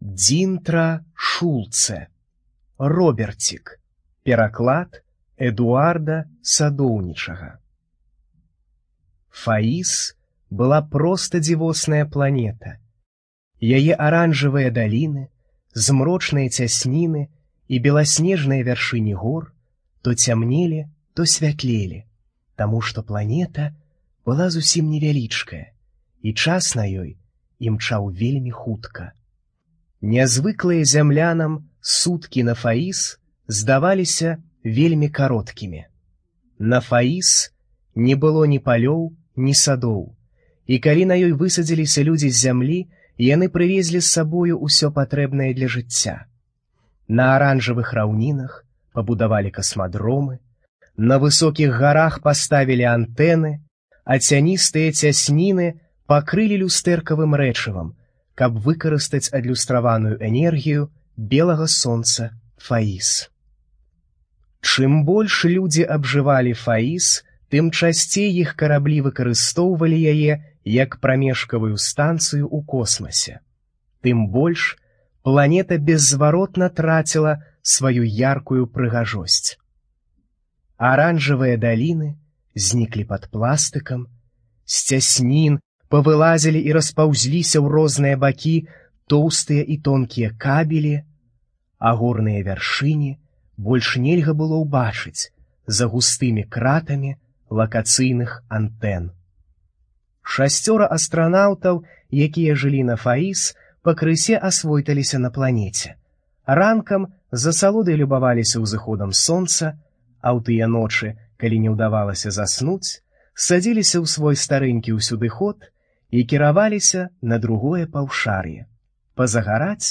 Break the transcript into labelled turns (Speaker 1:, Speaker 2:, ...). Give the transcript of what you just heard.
Speaker 1: Дзінтра Шулце. Роберцік. Пераклад Эдуарда Садоўнічага. Фаіс была проста дзівосная планета. Яе аранжавыя даліны, змрочныя цясніны і беласнежныя вяршыні гор то цямнелі, то святлелі, таму што планета была зусім невялічкая, і час на ёй імчаў вельмі хутка. Нязвыклыя зямлянам суткі на Фаіс здаваліся вельмі кароткімі. На Фаіс не было ні палёў, ні садоў, і калі на ёй высадзіліся людзі з зямлі, яны прывезлі з сабою ўсё патрэбнае для жыцця. На аранжавых раўнінах пабудавалі касмадромы, на высокіх гарах паставілі антэны, а цяністыя цясніны пакрылі люстэркавым рэчывам, каб выкарыстаць адлюстраваную энергію белага сонца Фаіс. Чым больш людзі абжывалі Фаіс, тым часцей іх караблі выкарыстоўвалі яе як прамежкавую станцыю ў космасе. Тым больш планета беззваротна траціла сваю яркую прыгажосць. Аранжавыя даліны зніклі пад пластыкам, з цяснін павылазілі і распаўзліся ў розныя бакі тоўстыя і тонкія кабелі, а горныя вяршыні больш нельга было ўбачыць за густымі кратамі лакацыйных антэн. 6 астранаўтаў, якія жылі на Фаіс, пакрысе асвойталіся на планеце. Ранкам з асалодай любаваліся ўзыходам сонца, а ў тыя ночы, калі не ўдавалася заснуць, садзіліся ў свой старэнькі ўсюдыход і кіраваліся на другое паўшар'е, пазагараць